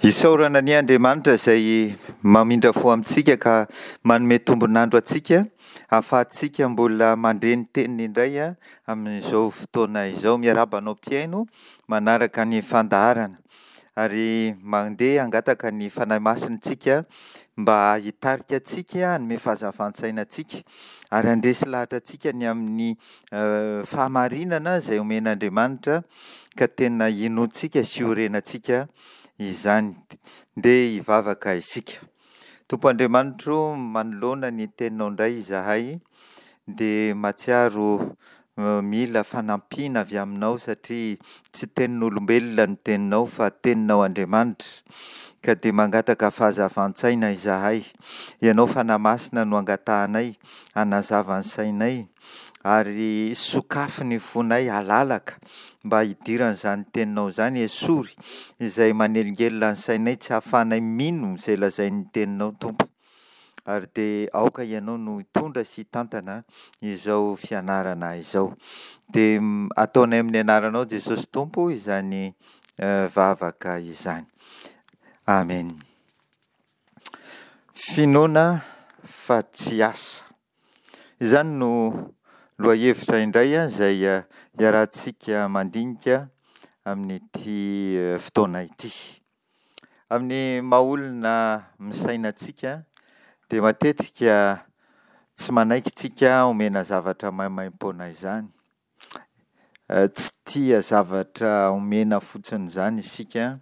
Isaorana anie Andriamanitra izay mamindra fo amintsika ka manome tombon'andro antsika ahafahantsika mbola mandre ny teniny indray amin'izao fotoana izao. Miarahaba anao mpihaino manaraka ny fandaharana ary mandeha hangataka ny Fanahy Masina isika mba hitarika antsika, hanome fahazavan-tsaina antsika ary handresy lahatra antsika ny amin'ny fahamarinana izay omen'Andriamanitra ka tena inoantsika sy iorenantsika izany. Ndeha hivavaka isika. Tompo Andriamanitro, manoloana ny teninao indray izahay dia mahatsiaro mila fanampiana avy aminao satria tsy tenin'olombelona ny teninao fa teninao Andriamanitra ka dia mangataka fahazavan-tsaina izahay. Ianao Fanahy Masina no angatahanay hanazava ny sainay ary sokafy ny fonay halalaka mba hidiran'izany teninao izany, esory izay manelingelina ny sainay tsy hahafahanay mino izay lazain'ny teninao Tompo, ary dia aoka ianao no hitondra sy hitantana izao fianarana izao. Dia ataonay amin'ny anaranao Jesosy Tompo izany vavaka izany. Amen. Finoana fa tsy asa. Izany no lohahevitra indray izay iarahantsika mandinika amin'ity fotoana ity. Amin'ny maha olona misaina antsika dia matetika tsy manaiky tsika omena zavatra maimaimpoana izany. Tsy tia zavatra omena fotsiny izany isika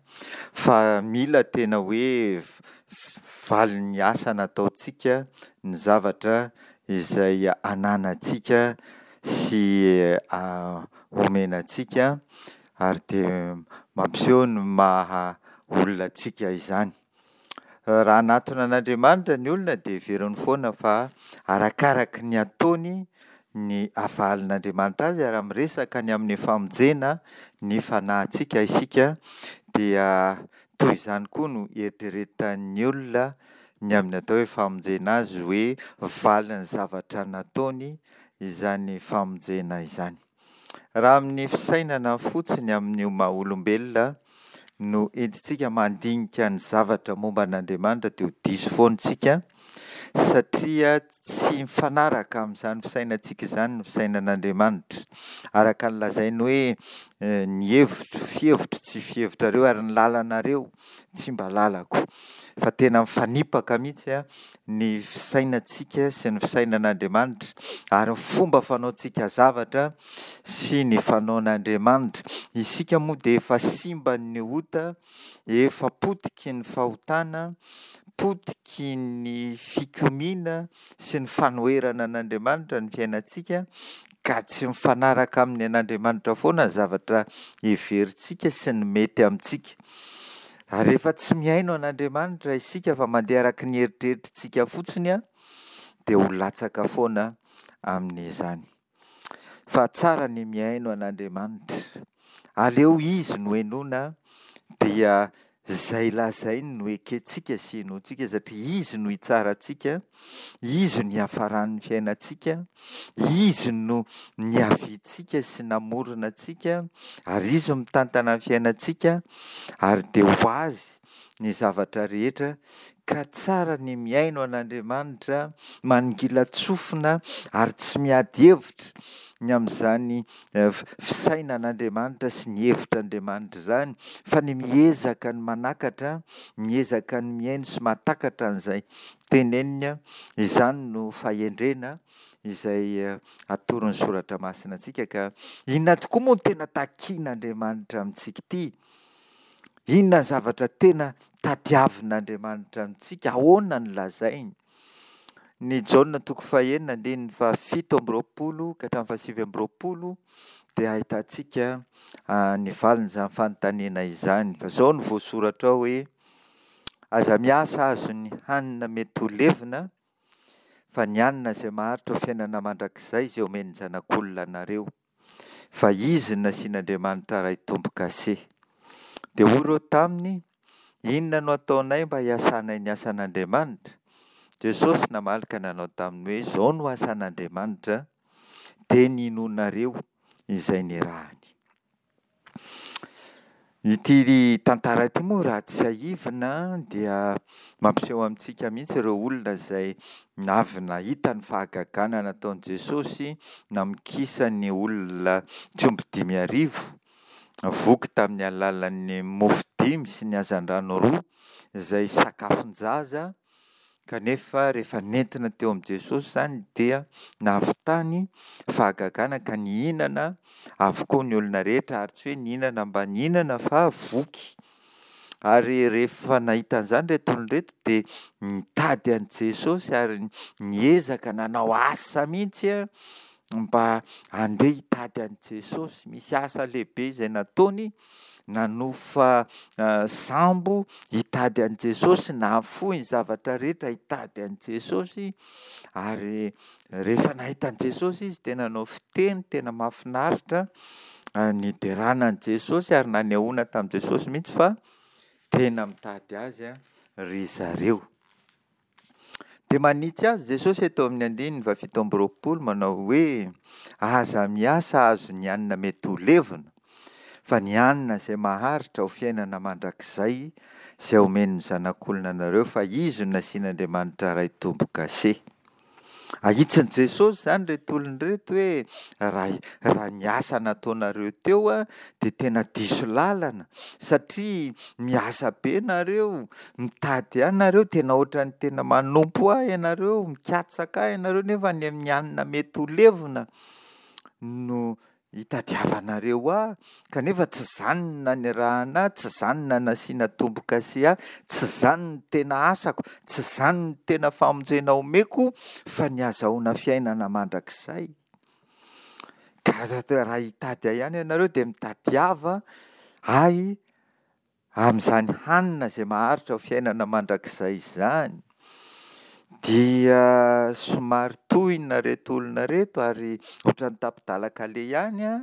fa mila tena hoe valin'ny asa nataontsika ny zavatra izay ananantsika sy omena antsika ary dia mampiseho ny maha olona antsika izany. Raha hanatona an'Andriamanitra ny olona dia heveriny foana fa arakaraky ny ataony ny havalin'Andriamanitra azy ary raha miresaka ny amin'ny famonjena ny fanahintsika isika dia toy izany koa no eritreretan'ny olona ny amin'ny atao hoe famonjena azy hoe valin'ny zavatra nataony izany famonjena izany. Raha amin'ny fisainana fotsiny amin'ny maha olombelona no entintsika mandinika ny zavatra momba an'Andriamanitra dia ho diso foana isika satria tsy mifanaraka amin'izany fisainantsika izany ny fisainan'Andriamanitra. Araka ny lazainy hoe ny hevitro, fihevitro tsy fihevitrareo ary ny lalanareo tsy mba lalako. Fa tena mifanipaka mihitsy ny fisainantsika sy ny fisainan'Andriamanitra ary ny fomba fanaontsika zavatra sy ny fanaon'Andriamanitra. Isika moa dia efa simban'ny ota, efa potiky ny fahotana, potiky ny fikomiana sy ny fanoherana an'Andriamanitra ny fiainantsika ka tsy mifanaraka amin'ny an'Andriamanitra foana ny zavatra heverintsika sy ny mety amintsika. Ary rehefa tsy mihaino an'Andriamanitra isika fa mandeha araka ny eritreritritsika fotsiny dia ho latsaka foana amin'izany. Fa tsara ny mihaino an'Andriamanitra. Aleo Izy no henoina dia izay lazainy no ekentsika sy henointsika satria Izy no hitsara antsika, Izy no hiafaran'ny fiainantsika, Izy no niaviantsika sy namorona antsika ary Izy no mitantana ny fiainantsika ary dia ho Azy ny zavatra rehetra ka tsara ny mihaino an'Andriamanitra, manongilan-tsofina ary tsy miady hevitra ny amin'izany fisainan'Andriamanitra sy ny hevitr'Andriamanitra izany fa ny miezaka ny manakatra, miezaka ny mihaino sy mahatakatra an'izay teneniny, izany no fahendrena izay atoron'ny soratra masina antsika ka inona tokoa moa no tena takian'Andriamanitra amintsika ity? Inona ny zavatra tena tadiavin'Andriamanitra amintsika? Ahoana no lazainy? Ny Jaona toko fahenina andininy fahafito amby roapolo ka hatramin'ny fahasivy amby roapolo dia ahitantsika ny valin'izany fanontaniana izany. Fa izao no voasoratra ao hoe, Aza miasa azon'ny hanina mety ho levona, fa ny hanina izay maharitra ho fiainana mandrakizay izay omen'ny Zanak'olona anareo. Fa izy no nasian'Andriamanitra Ray tombo-kase. Dia hoy ireo taminy, Inona no ataonay mba hiasanay ny asan'Andriamanitra? Jesosy namaly ka nanao taminy hoe, Izao no asan'Andriamanitra, dia ny hinoanareo izay nirahany. Ity tantara ity moa raha tsiahivina dia mampiseho amintsika mihitsy ireo olona izay avy nahita ny fahagagana nataon'i Jesosy namokisany olona tsy omby 5000, voky tamin'ny alalan'ny mofo dimy sy ny hazandrano roa izay sakafon-jaza. Kanefa rehefa nentina teo amin'i Jesosy izany dia nahavitany fahagagana ka nihinana avokoa ny olona rehetra ary tsy hoe nihinana mba nihinana fa voky. Ary rehefa nahita an'izany ireto olona ireto dia nitady an'i Jesosy ary niezaka nanao asa mihitsy mba handeha hitady an'i Jesosy. Misy asa lehibe izay nataony, nanofa sambo hitady an'i Jesosy, nahafoy ny zavatra rehetra hitady an'i Jesosy. Ary rehefa nahita an'i Jesosy izy dia nanao fiteny tena mahafinaritra niderana an'i Jesosy ary nanehoana tamin'i Jesosy mihitsy fa tena mitady azy ry zareo. Dia manitsy azy Jesosy eto amin'ny andininy faha 27 manao hoe, Aza miasa hahazo ny hanina mety ho levona, fa ny hanina izay maharitra ho fiainana mandrakizay izay omen'ny Zanak'olona anareo, fa Izy no nasian'Andriamanitra Ray tombo-kase. Ahitsin'i Jesosy izany ireto olona ireto hoe raha raha ny asa nataonareo teo dia tena diso lalana satria miasa be nareo, mitady ahy nareo, tena ohatran'ny tena manompo ahy ianareo, mikatsaka ahy ianareo nefa any amin'ny hanina mety ho levona no Itadiavanareo ahy, kanefa tsy izany no nanirahana ahy, tsy izany no nanasiana tombo-kase ahy, tsy izany no tena asako, tsy izany no tena famonjena omeko, fa ny hazahoana fiainana mandrakizay. Ka raha hitady ahy ihany ianareo dia mitadiava ahy Amin'izany hanina izay maharitra ho fiainana mandrakizay izany, dia somary tohina ireto olona ireto ary ohatran'ny tapi-dalan-kaleha ihany an,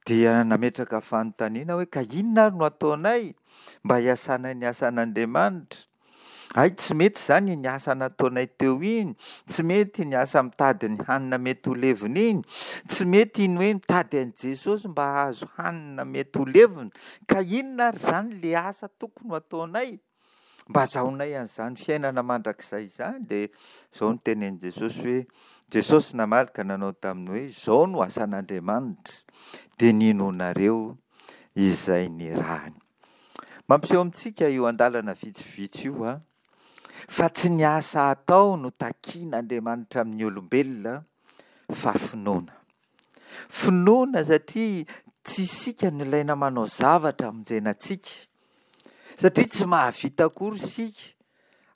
dia nametraka fanontaniana hoe ka inona ary no ataonay mba hiasanay ny asan'Andriamanitra? Hay tsy mety izany iny asa nataonay teo iny, tsy mety iny asa mitady ny hanina mety ho levona iny, tsy mety iny hoe mitady an'i Jesosy mba hahazo hanina mety ho levona, ka inona ary izany le asa tokony ho ataonay mba hazahoanay an'izany fiainana mandrakizay izany? Dia izao no tenenin'i Jesosy hoe, Jesosy namaly ka nanao taminy hoe, izao no asan'Andriamanitra, dia ny hinoanareo izay nirahany. Mampiseho amintsika io andalana vitsivitsy io fa tsy ny asa atao no takian'Andriamanitra amin'ny olombelona fa finoana. Finoana satria tsy isika no ilaina manao zavatra hamonjena antsika, satria tsy mahavita akory isika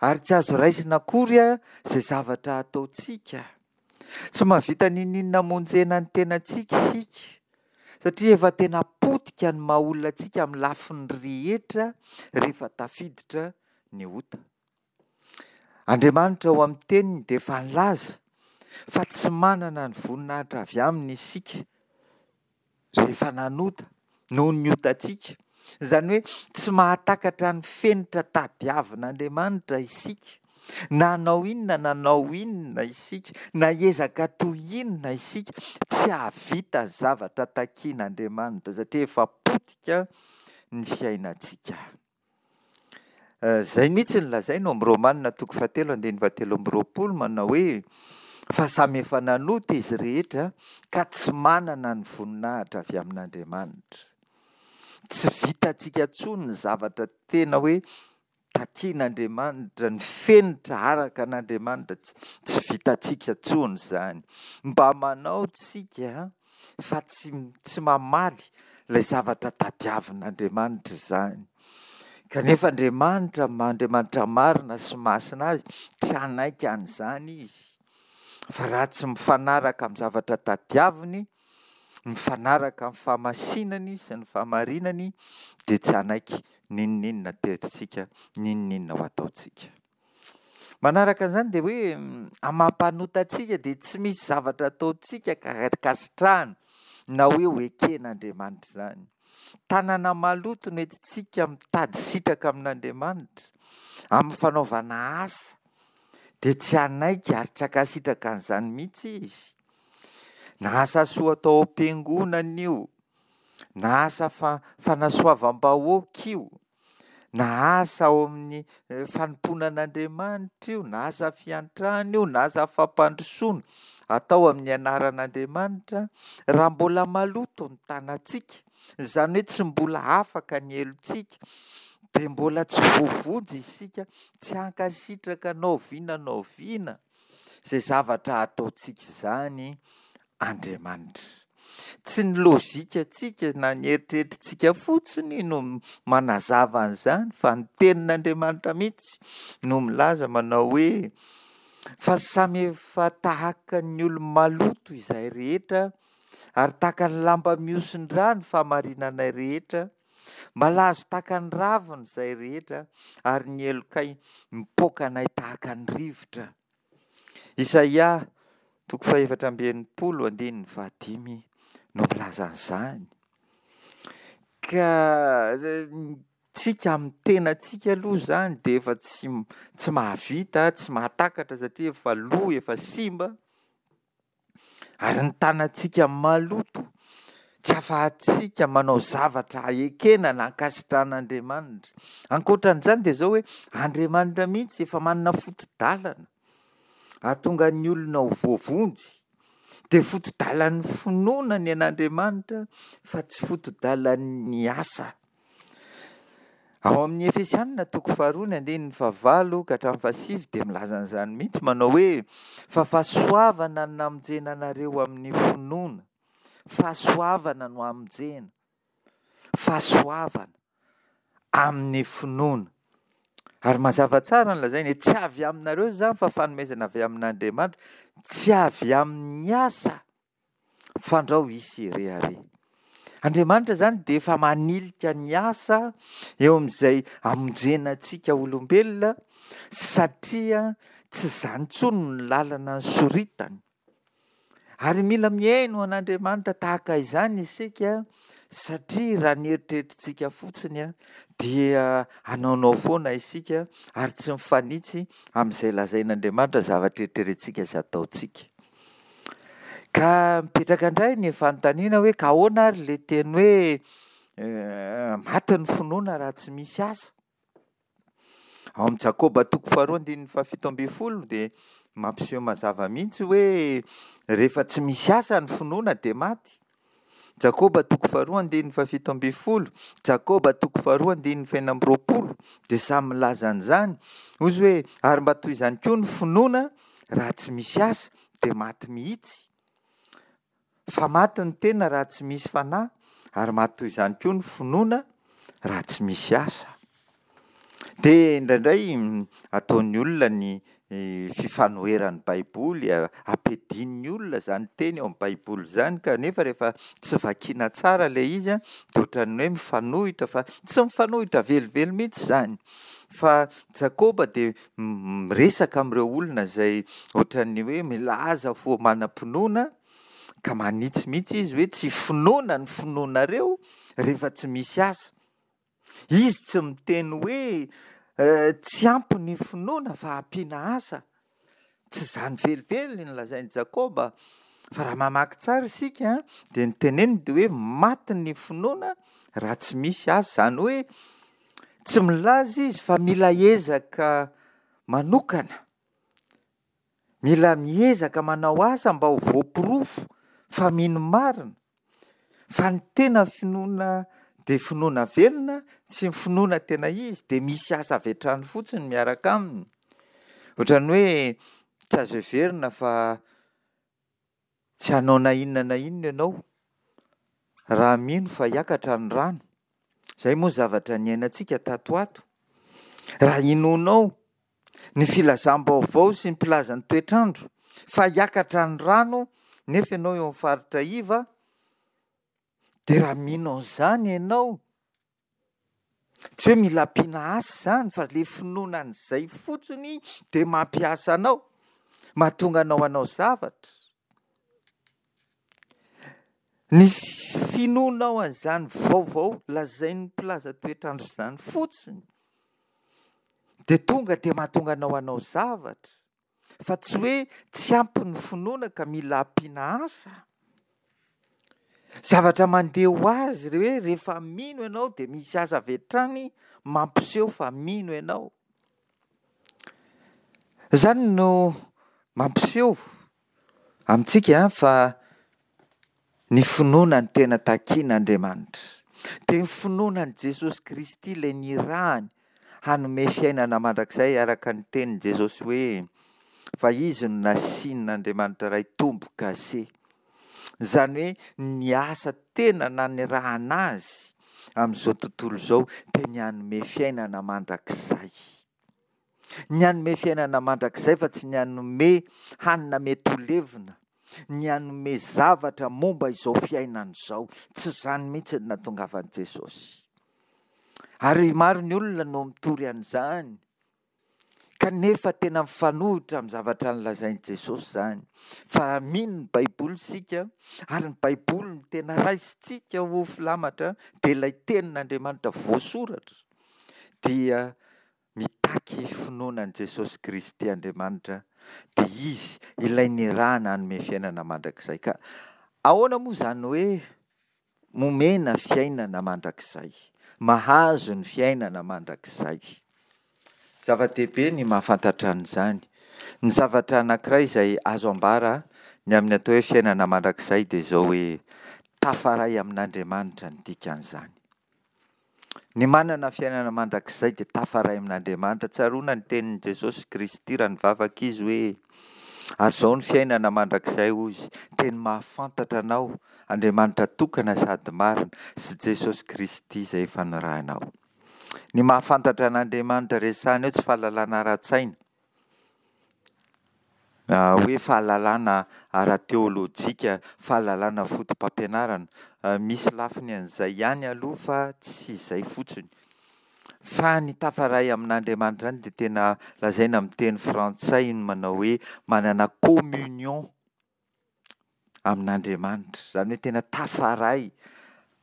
ary tsy azo raisina akory izay zavatra ataontsika. Tsy mahavita n'inon'inona hamonjena ny tenantsika isika, satria efa tena potika ny maha olona antsika amin'ny lafiny rehetra rehefa tafiditra ny ota. Andriamanitra ao amin'ny teniny dia efa nilaza fa tsy manana ny voninahitra avy aminy isika rehefa nanota noho ny otantsika. Izany hoe tsy mahatakatra ny fenitra tadiavin'Andriamanitra isika. Na hanao inona na hanao inona isika, na hiezaka toy inona isika, tsy hahavita ny zavatra takian'Andriamanitra satria efa potika ny fiainantsika. Izay mihitsy no lazaina ao amin'ny Romana toko fahatelo andininy fahatelo amby roapolo manao hoe fa samy efa nanota izy rehetra ka tsy manana ny voninahitra avy amin'Andriamanitra. Tsy vitantsika intsony ny zavatra tena hoe takian'Andriamanitra, ny fenitra araka an'Andriamanitra, tsy vitantsika intsony izany. Mba manao tsika fa tsy tsy mamaly ilay zavatra tadiavin'Andriamanitra izany. Kanefa Andriamanitra, maha Andriamanitra marina sy masina azy, tsy hanaiky an'izany izy. Fa raha tsy mifanaraka amin'ny zavatra tadiaviny, mifanaraka amin'ny fahamasinany sy ny fahamarinany, dia tsy hanaiky n'inon'inona aterintsika, n'inon'inona ho ataontsika. Manaraka an'izany dia hoe amin'ny maha mpanota antsika dia tsy misy zavatra ataontsika ka ankasitrahana na hoe ho eken'Andriamanitra izany. Tanana maloto no entintsika mitady sitraka amin'Andriamanitra amin'ny fanaovana asa dia tsy hanaiky ary tsy hankasitraka an'izany mihitsy izy. Na asa soa atao ao am-piangonana io. Na asa fanasoavam-bahoaka io, na asa ao amin'ny fanompoana an'Andriamanitra io, na asa fiantrana io, na asa fampandrosoana atao amin'ny anaran'Andriamanitra, raha mbola maloto ny tanantsika, izany hoe tsy mbola afaka ny helotsika, dia mbola tsy voavonjy isika, tsy hankasitraka na oviana na oviana izay zavatra ataontsika izany Andriamanitra. Tsy ny lojikantsika na ny eritreritritsika fotsiny no manazava an'izany fa ny tenin'Andriamanitra mihitsy no milaza manao hoe fa samy efa tahaka ny olo-maloto izahay rehetra ary tahaka ny lamba mihosin-drà ny fahamarinanay rehetra, malazo tahaka ny ravina izahay rehetra ary ny helokay mipoaka anay tahaka ny rivotra. Isaia toko fahefatra amby 60 andininy fahadimy no milaza an'izany. Ka tsika amin'ny tenantsika aloha izany dia efa tsy tsy mahavita, tsy mahatakatra satria efa lo, efa simba. Ary ny tanantsika maloto, tsy afahantsika manao zavatra ekena na ankasitrahan'Andriamanitra. Ankoatran'izany dia izao hoe Andriamanitra mihitsy efa manana foto-dalana hahatonga ny olona ho voavonjy. Dia foto-dalan'ny finoana ny an'Andriamanitra fa tsy foto-dalan'ny asa. Ao amin'ny Efesianina toko faharoa ny andininy fahavalo ka hatramin'ny fahasivy dia milaza an'izany mihitsy manao hoe fa fahasoavana no namonjena anareo amin'ny finoana. Fahasoavana no hamonjena. Fahasoavana amin'ny finoana. Ary mazava tsara ny lazainy hoe tsy avy aminareo izany fa fanomezana avy amin'Andriamanitra, tsy avy amin'ny asa. Fandrao hisy hirehareha. Andriamanitra izany dia efa manilika ny asa eo amin'izay hamonjena antsika olombelona satria tsy izany intsony ny lalana nosoritany. Ary mila mihaino an'Andriamanitra tahaka izany isika satria raha ny eritreritritsika fotsiny dia hanaonao foana isika ary tsy mifanitsy amin'izay lazain'Andriamanitra zavatra eritreretintsika sy ataontsika. Ka mipetraka indray ny fanontaniana hoe ka ahoana ary le teny hoe maty ny finoana raha tsy misy asa? Ao amin'i Jakoba toko faharoa andininy fahafito ambin'ny folo dia mampiseho mazava mihitsy hoe rehefa tsy misy asa ny finoana dia maty. Jakoba toko faharoa andininy fahafito ambin'ny folo, Jakoba toko faharoa andininy fahenina amby roapolo dia samy milaza an'izany. Hoy izy hoe ary mba toy izany koa ny finoana raha tsy misy asa dia maty mihitsy. Fa maty ny tena raha tsy misy fanahy, ary maty toy izany koa ny finoana raha tsy misy asa. Dia indraindray ataon'ny olona ny fifanoheran'ny Baiboly, ampiadian'ny olona izany teny ao amin'ny Baiboly izany, kanefa rehefa tsy vakiana tsara ilay izy dia ohatran'ny hoe mifanohitra fa tsy mifanohitra velively mihitsy izany. Fa Jakoba dia miresaka amin'ireo olona izay ohatran'ny hoe milaza fo manam-pinoana ka manitsy mihitsy izy hoe tsy finoana ny finoanareo rehefa tsy misy asa. Izy tsy miteny hoe tsy ampy ny finoana fa ampiana asa. Tsy izany velively no lazain'i Jakoba fa raha mamaky tsara isika dia ny teneniny dia hoe maty ny finoana raha tsy misy asa. Izany hoe tsy milaza izy fa mila ezaka manokana, mila miezaka manao asa mba ho voaporofo fa mino marina. Fa ny tena finoana dia finoana velona sy ny finoana tena izy dia misy asa avy hatrany fotsiny miaraka aminy. Ohatran'ny hoe tsy azo heverina fa tsy hanao na inona na inona ianao raha mino fa hiakatra ny rano. Izay moa zavatra niainantsika tato ho ato. Raha inoanao ny filazam-baovao sy ny mpilaza ny toetr'andro fa hiakatra ny rano nefa ianao eo amin'ny faritra iva dia raha mino an'izany ianao, tsy hoe mila ampiana asa izany fa le finoana an'izay fotsiny dia mampiasa anao, mahatonga anao hanao zavatra. Ny finoanao an'izany vaovao lazain'ny mpilaza toetr'andro izany fotsiny dia tonga dia mahatonga anao hanao zavatra fa tsy hoe tsy ampy ny finoana ka mila ampiana asa. Zavatra mandeha ho azy re hoe rehefa mino ianao dia misy asa avy hatrany mampiseho fa mino ianao. Izany no mampiseho amintsika fa ny finoana no tena takian'Andriamanitra. Dia ny finoana an'i Jesosy Kristy ilay nirahany hanome fiainana mandrakizay araka ny tenin'i Jesosy hoe fa izy no nasian'Andriamanitra Ray tombo-kase. Izany hoe ny asa tena nanirahana azy amin'izao tontolo izao dia ny hanome fiainana mandrakizay. Ny hanome fiainana mandrakizay fa tsy ny hanome hanina mety ho levona, ny hanome zavatra momba izao fiainana izao. Tsy izany mihitsy no nahatongavan'i Jesosy. Ary maro ny olona no mitory an'izany, kanefa tena mifanohitra amin'ny zavatra nolazain'i Jesosy izany. Fa raha mino ny Baiboly isika, ary ny Baiboly no tena raisintsika ho filamatra, dia ilay tenin'Andriamanitra voasoratra, dia Mitaky finoana an'i Jesosy Kristy Andriamanitra, dia Izy ilay nirahana hanome fiainana mandrakizay. Ka ahoana moa izany hoe momena fiainana mandrakizay? Mahazo ny fiainana mandrakizay. Zava-dehibe ny mahafantatra an'izany. Ny zavatra anankiray izay azo ambara ny amin'ny atao hoe fiainana mandrakizay dia izao hoe tafaray amin'Andriamanitra ny dikan'izany. Ny manana fiainana mandrakizay dia tafaray amin'Andriamanitra. Tsaroana ny tenin'i Jesosy Kristy raha nivavaka Izy hoe, Ary izao ny fiainana mandrakizay, hoy Izy, dia ny mahafantatra Anao, Andriamanitra tokana sady marina, sy Jesosy Kristy izay efa nirahinao. Ny mahafantatra an'Andriamanitra resahina eo tsy fahalalana ara-tsaina, hoe fahalalana ara-teolojika, fahalalana fotopampianarana. Misy lafiny an'izay ihany aloha fa tsy izay fotsiny. Fa ny tafaray amin'Andriamanitra izany dia tena lazaina amin'ny teny frantsay ny manao hoe manana communion amin'Andriamanitra. Izany hoe tena tafaray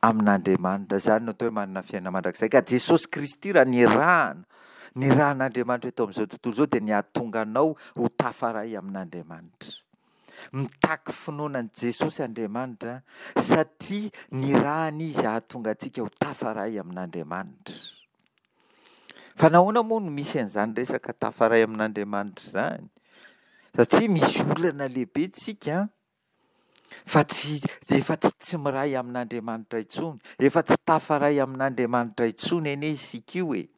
amin'Andriamanitra. Izany no atao hoe manana fiainana mandrakizay. Ka Jesosy Kristy raha nirahana, nirahan'Andriamanitra eto amin'izao tontolo izao dia ny hahatonga anao ho tafaray amin'Andriamanitra. Mitaky finoana an'i Jesosy Andriamanitra satria nirahana Izy hahatonga antsika ho tafaray amin'Andriamanitra. Fa nahoana moa no misy an'izany resaka tafaray amin'Andriamanitra izany? Satria misy olana lehibe tsika fa tsy efa tsy tsy miray amin'Andriamanitra intsony, efa tsy tafaray amin'Andriamanitra intsony anie isika io e.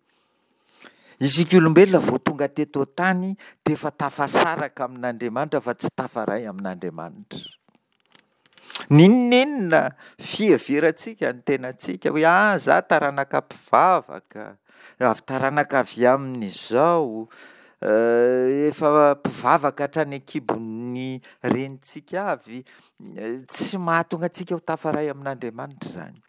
Isika olombelona vao tonga teto an-tany dia efa tafasaraka amin'Andriamanitra fa tsy tafaray amin'Andriamanitra. N'inon'inona fiheverantsika ny tenantsika hoe ah za taranaka mpivavaka, avy taranaka avy amin'izao, efa mpivavaka hatrany an-kibon'ny renintsika avy, tsy mahatonga antsika ho tafaray amin'Andriamanitra izany.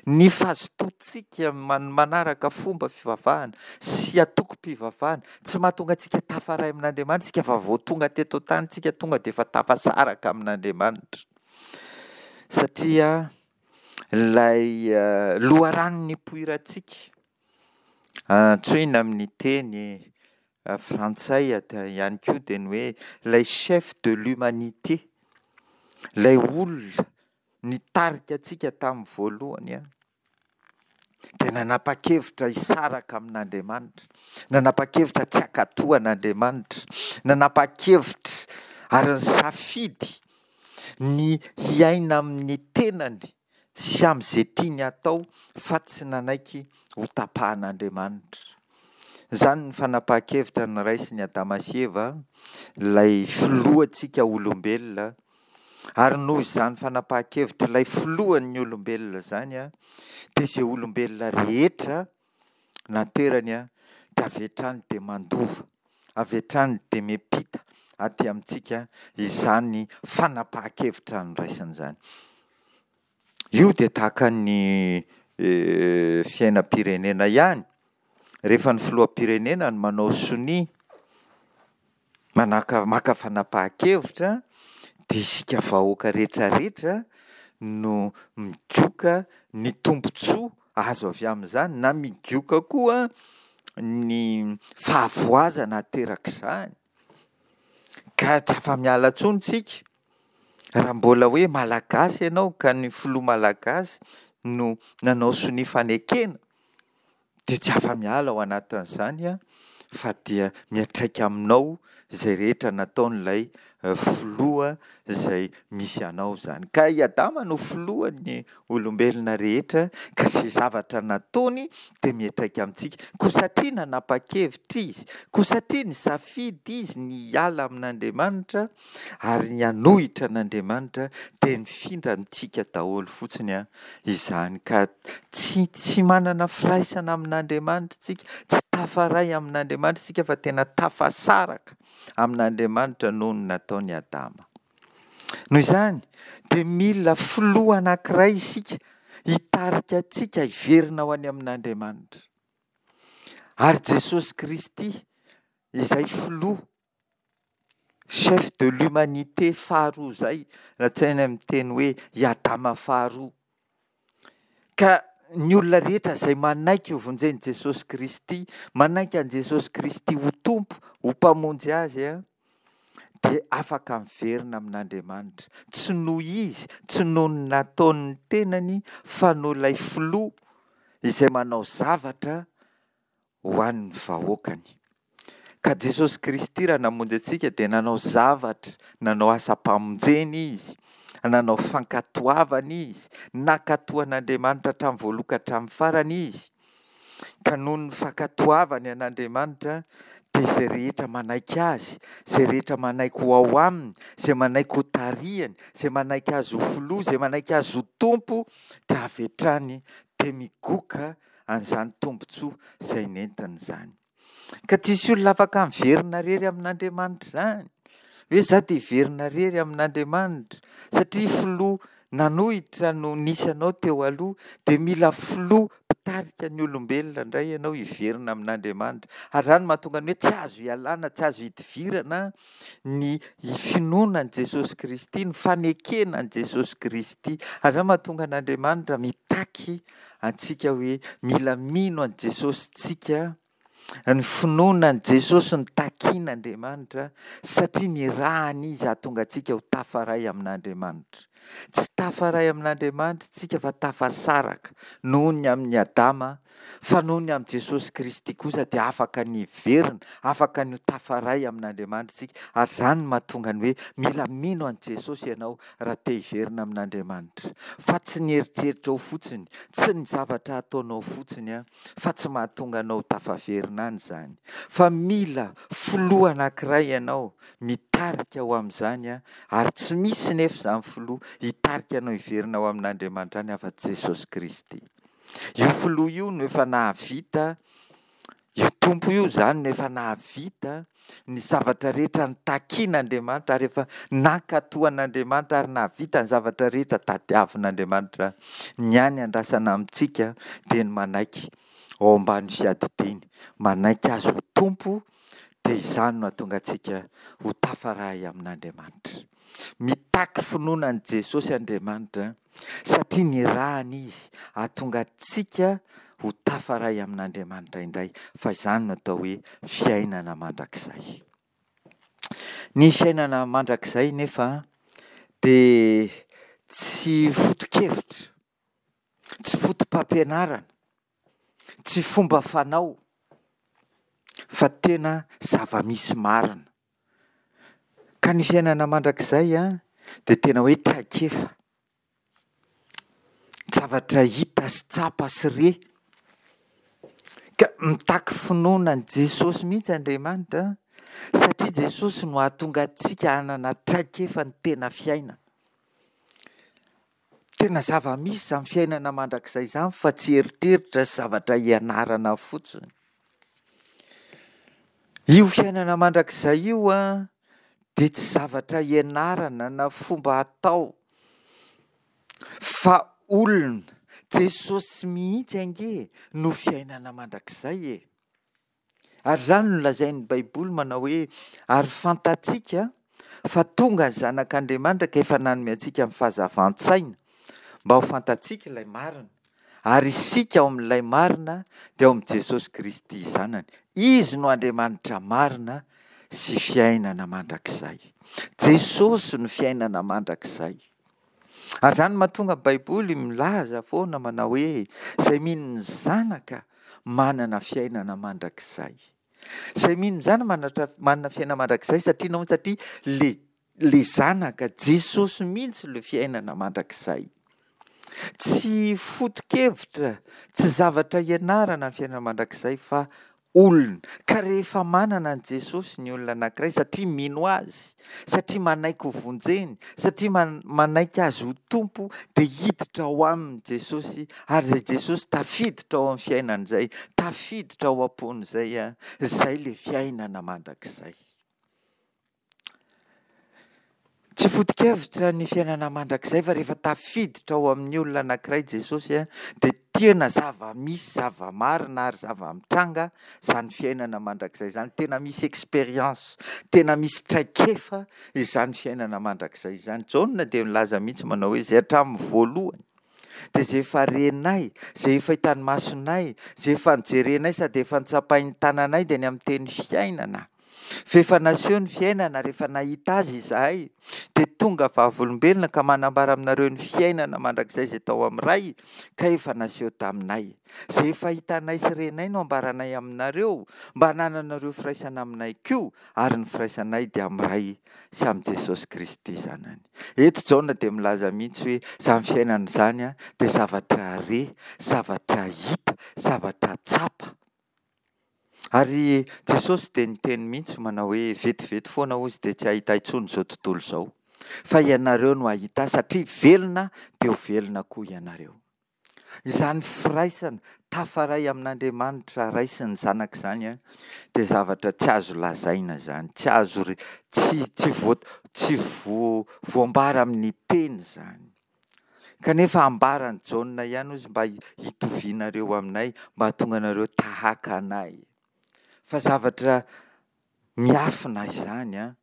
Ny fazotoantsika manaraka fomba fivavahana sy antokom-pivavahana, tsy mahatonga antsika tafaray amin'Andriamanitra isika fa vao tonga teto an-tany isika tonga dia efa tafasaraka amin'Andriamanitra. Satria ilay loharano nipoirantsika, antsoina amin'ny teny frantsay ihany koa dia ny hoe ilay chef de l'humanité, ilay olona nitarika antsika tamin'ny voalohany dia nanapa-kevitra hisaraka amin'Andriamanitra, nanapa-kevitra tsy hankatò an'Andriamanitra, nanapa-kevitra ary nisafidy ny hiaina amin'ny tenany sy amin'izay tiany hatao fa tsy nanaiky hotapahan'Andriamanitra. Izany ny fanapahan-kevitra noraisin'i Adama sy Eva, ilay filohantsika olombelona, Ary noho izany fanapahan-kevitr'ilay filohan'ny olombelona izany, dia izay olombelona rehetra naterany dia avy hatrany dia mandova, avy hatrany dia miampita aty amintsika izany fanapahan-kevitra noraisiny izany. Io dia tahaka ny fiainam-pirenena ihany, rehefa ny filoham-pirenena no manao sonia, manaka maka fanapahan-kevitra dia isika vahoaka rehetrarehetra no migoka ny tombontsoa azo avy amin'izany na migoka koa ny fahavoazana aterak'izany ka tsy afa-miala intsony isika. Raha mbola hoe Malagasy ianao ka ny filoha Malagasy no nanao sonia fanekena dia tsy afa-miala ao anatin'izany fa dia miantraika aminao izay rehetra nataon'ilay filoha izay misy anao izany. Ka i Adama no filohan'ny olombelona rehetra ka izay zavatra nataony dia miantraika amintsika. Koa satria nanapa-kevitra izy, koa satria nisafidy izy ny hiala amin'Andriamanitra ary ny hanohitra an'Andriamanitra dia nifindra amintsika daholo fotsiny izany. Ka tsy tsy manana firaisana amin'Andriamanitra isika, tsy tafaray amin'Andriamanitra isika fa tena tafasaraka amin'Andriamanitra noho ny nataon'i Adama. Noho izany dia mila filoha anankiray isika hitarika antsika hiverina ho any amin'Andriamanitra. Ary Jesosy Kristy izay filoha, chef de l'humanité faharoa izay, raha tsy hainay miteny hoe i Adama faharoa. Ka ny olona rehetra izay manaiky ho vonjen'i Jesosy Kristy, manaiky an'i Jesosy Kristy ho Tompo, ho Mpamonjy azy, dia afaka miverina amin'Andriamanitra. Tsy noho izy, tsy noho ny nataon'ny tenany, fa noho ilay Filoha izay manao zavatra ho an'ny vahoakany. Ka Jesosy Kristy raha namonjy antsika dia nanao zavatra, nanao asam-pamonjena Izy, nanao fankatoavana Izy, nankatò an'Andriamanitra hatramin'ny voalohany ka hatramin'ny farany Izy. Ka noho ny fankatoavany an'Andriamanitra dia izay rehetra manaiky Azy, izay rehetra manaiky ho ao Aminy, izay manaiky ho tarihany, izay manaiky Azy ho Filoha, izay manaiky Azy ho Tompo dia avy hatrany dia migoka an'izany tombontsoa izay nentiny izany. Ka tsisy olona afaka miverina rery amin'Andriamanitra izany. Hoe za dia hiverina rery amin'Andriamanitra. Satria filoha nanohitra no nisy anao teo aloha, dia mila filoha mpitarika ny olombelona indray ianao hiverina amin'Andriamanitra. Ary izany no mahatonga ny hoe tsy azo ialana, tsy azo idivirana ny finoana an'i Jesosy Kristy, ny fanekena an'i Jesosy Kristy. Ary izany mahatonga an'Andriamanitra mitaky antsika hoe mila mino an'i Jesosy tsika, ny finoana an'i Jesosy no takian'Andriamanitra satria nirahany Izy hahatonga antsika ho tafaray amin'Andriamanitra. Tsy tafaray amin'Andriamanitra tsika fa tafasaraka noho ny amin'i Adama Fa noho ny amin'i Jesosy Kristy kosa dia afaka ny hiverina, afaka ny ho tafaray amin'Andriamanitra isika. Ary izany no mahatonga ny hoe mila mino an'i Jesosy ianao raha te hiverina amin'Andriamanitra. Fa tsy ny eritreritrao fotsiny, tsy ny zavatra ataonao fotsiny fa tsy mahatonga anao ho tafaverina any izany. Fa mila filoha anankiray ianao mitarika ho amin'izany ary tsy misy nefa izany filoha hitarika anao hiverina ho amin'Andriamanitra any afa-tsy Jesosy Kristy. Io filoha io no efa nahavita, io Tompo io izany no efa nahavita ny zavatra rehetra nitakian'Andriamanitra ary efa nankatò an'Andriamanitra ary nahavita ny zavatra rehetra tadiavin'Andriamanitra. Ny hany andrasana amintsika dia ny manaiky ao ambany fiadidiany, manaiky Azy ho Tompo dia izany no hahatonga antsika ho tafaray amin'Andriamanitra. Mitaky finoana an'i Jesosy Andriamanitra satria nirahany Izy hahatonga antsika ho tafaray amin'Andriamanitra indray, fa izany no atao hoe fiainana mandrakizay. Ny fiainana mandrakizay nefa dia tsy foto-kevitra, tsy foto-pampianarana, tsy fomba fanao fa tena zava-misy marina. Ka ny fiainana mandrakizay dia tena hoe traikefa. Zavatra hita sy tsapa sy re. Ka mitaky finoana an'i Jesosy mihitsy Andriamanitra satria Jesosy no hahatonga antsika hanana traikefa ny tena fiainana. Tena zava-misy izany fiainana mandrakizay izany fa tsy eritreritra sy zavatra ianarana fotsiny. Io fiainana mandrakizay io an, dia tsy zavatra ianarana na fomba atao fa olona, Jesosy mihitsy ange no fiainana mandrakizay e! Ary izany no lazain'ny Baiboly manao hoe, ary fantatsika fa tonga ny Zanak'Andriamanitra ka efa nanome antsika ny fahazavan-tsaina mba ho fantatsika ilay marina. Ary isika ao amin'ilay marina dia ao amin'i Jesosy Kristy Zanany. Izy no Andriamanitra marina sy fiainana mandrakizay. Jesosy no fiainana mandrakizay. Ary izany no mahatonga ny Baiboly milaza foana manao hoe, izay mino ny Zanaka manana fiainana mandrakizay. Izay mino ny Zanaka manatra- manana fiainana mandrakizay satria nahoana? Satria le le Zanaka, Jesosy mihitsy le fiainana mandrakizay. Tsy foto-kevitra, tsy zavatra ianarana ny fiainana mandrakizay fa olona. Ka rehefa manana an'i Jesosy ny olona anankiray satria mino Azy, satria manaiky ho vonjeny, satria manaiky Azy ho Tompo dia hiditra ao aminy Jesosy ary izay Jesosy tafiditra ao amin'ny fiainany izay, tafiditra ao am-pony izay, izay ilay fiainana mandrakizay. Tsy foto-kevitra ny fiainana mandrakizay fa rehefa tafiditra ao amin'ny olona anankiray Jesosy dia tena zava-misy, zava-marina ary zava-mitranga izany fiainana mandrakizay izany. Tena misy expérience, tena misy traikefa izany fiainana mandrakizay izany. Jaona dia milaza mihitsy manao hoe izay hatramin'ny voalohany dia izay efa renay, izay efa hitan'ny masonay, izay efa nojerenay sady efa notsapain'ny tananay dia ny amin'ny teny fiainana. F'efa naseho ny fiainana rehefa nahita azy izahay, dia tonga vavolombelona ka manambara aminareo ny fiainana mandrakizay izay tao amin'ny Ray, ka efa naseho taminay. Izay efa hitanay sy renay no ambaranay aminareo, mba hanananareo firaisana aminay koa, ary ny firaisanay dia amin'ny Ray sy amin'i Jesosy Kristy Zanany. Eto Jaona dia milaza mihitsy hoe izany fiainana izany dia zavatra re, zavatra hita, zavatra tsapa. Ary Jesosy dia niteny mihitsy manao hoe, vetivety foana hozy dia tsy hahita intsony izao tontolo izao, fa ianareo no hahita ahy, satria velona dia ho velona koa ianareo. Izany firaisana tafaray amin'Andriamanitra Ray sy ny Zanaka izany dia zavatra tsy azo lazaina izany, tsy azo tsy tsy voa tsy voa voambara amin'ny teny izany. Kanefa ambaran'i Jaona ihany hozy mba hitovianareo aminay, mba hahatonga anareo tahaka anay. Fa zavatra miafina izany an,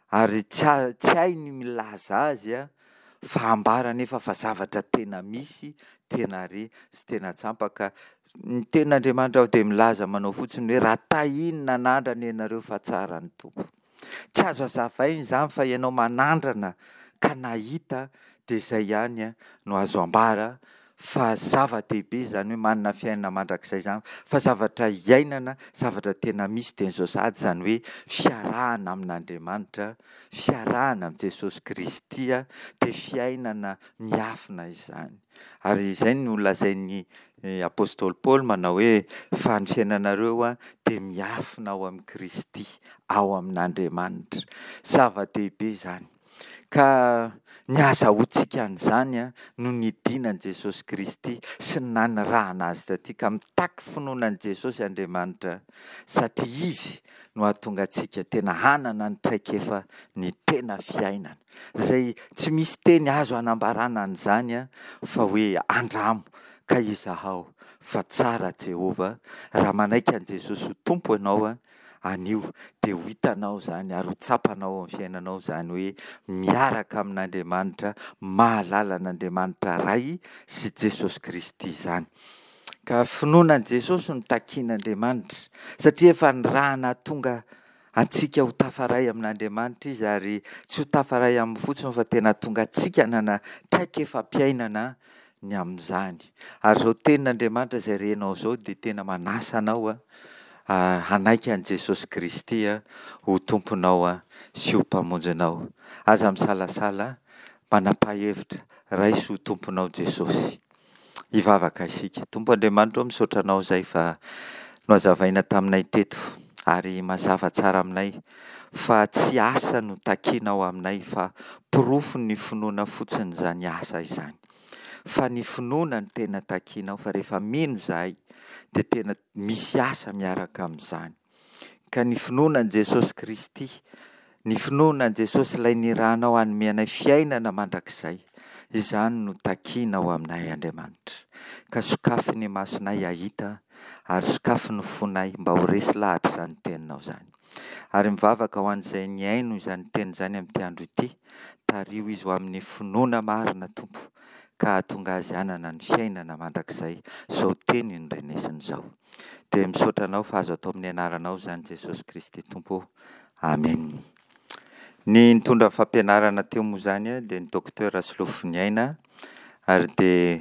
ary tsy tsy hay ny milaza azy an, fa ambara anefa fa zavatra tena misy, tena re sy tena tsampa ka ny tenin'Andriamanitra dia milaza manao fotsiny hoe raha tahiny nanandrana ianareo fa tsara ny Tompo. Tsy azo azavaina izany fa ianao manandrana ka nahita dia izay ihany no azo ambara fa zava-dehibe izany hoe manana fiainana mandrakizay izany fa zavatra iainana, zavatra tena misy dia izao sahady izany hoe fiarahana amin'Andriamanitra, fiarahana amin'i Jesosy Kristy dia fiainana miafina izany. Ary izay no lazain'ny apostoly Paoly manao hoe fa ny fiainanareo dia miafina ao amin'i Kristy, ao amin'Andriamanitra. Zava-dehibe izany. Ka ny ahazahoantsika an'izany no nidinan'i Jesosy Kristy sy ny nanirahana Azy taty. Ka mitaky finoana an'i Jesosy Andriamanitra satria Izy no hahatonga antsika tena hanana ny traikefa ny tena fiainana. Izay tsy misy teny azo hanambarana an'izany fa hoe andramo ka izahao fa tsara Jehovah. Raha manaiky an'i Jesosy ho Tompo ianao anio dia ho hitanao izany ary ho tsapanao ao amin'ny fiainanao izany hoe miaraka amin'Andriamanitra, mahalala an'Andriamanitra Ray sy Jesosy Kristy izany. Ka finoana an'i Jesosy no takian'Andriamanitra satria efa nirahana hahatonga antsika ho tafaray amin'Andriamanitra Izy ary tsy ho tafaray aminy fotsiny fa tena hahatonga antsika hanana traikefam-piainana ny amin'izany. Ary izao tenin'Andriamanitra izay renao izao dia tena manasa anao hanaiky an'i Jesosy Kristy ho Tomponao sy ho Mpamonjinao. Aza misalasala, manapaha hevitra, raiso ho Tomponao Jesosy. Hivavaka isika. Tompo Andriamanitra ô, misaotra Anao izay fa nohazavaina taminay teto ary mazava tsara aminay fa tsy asa no takianao aminay fa porofon'ny finoana fotsiny izany asa izany. Fa ny finoana no tena takianao fa rehefa mino izahay dia tena misy asa miaraka amin'izany. Ka ny finoana an'i Jesosy Kristy, ny finoana an'i Jesosy ilay nirahanao hanome anay fiainana mandrakizay, izany no takianao aminay Andriamanitra. Ka sokafy ny masonay hahita ary sokafy ny fonay mba ho resy lahatra izany teninao izany. Ary mivavaka ho an'izay nihaino izany teny izany amin'ity andro ity, tariho izy ho amin'ny finoana marina, Tompo, ka hahatonga azy hanana ny fiainana mandrakizay, izao teny norenesiny izao. Dia misaotra Anao fa azo atao amin'ny anaranao izany Jesosy Kristy Tompo ô. Amen. Ny nitondra ny fampianarana teo moa izany dia ny Docteur Rasolofoniaina ary dia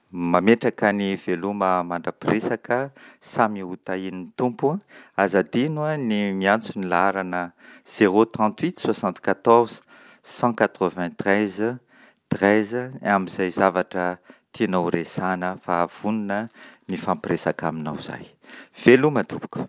mametraka ny veloma mandra-piresaka, samy ho tahian'ny Tompo. Aza adino ny miantso ny laharana 038 74 193 13 amin'izay zavatra tianao horesahana fa vonona ny hifampiresaka aminao izahay. Veloma tompoko.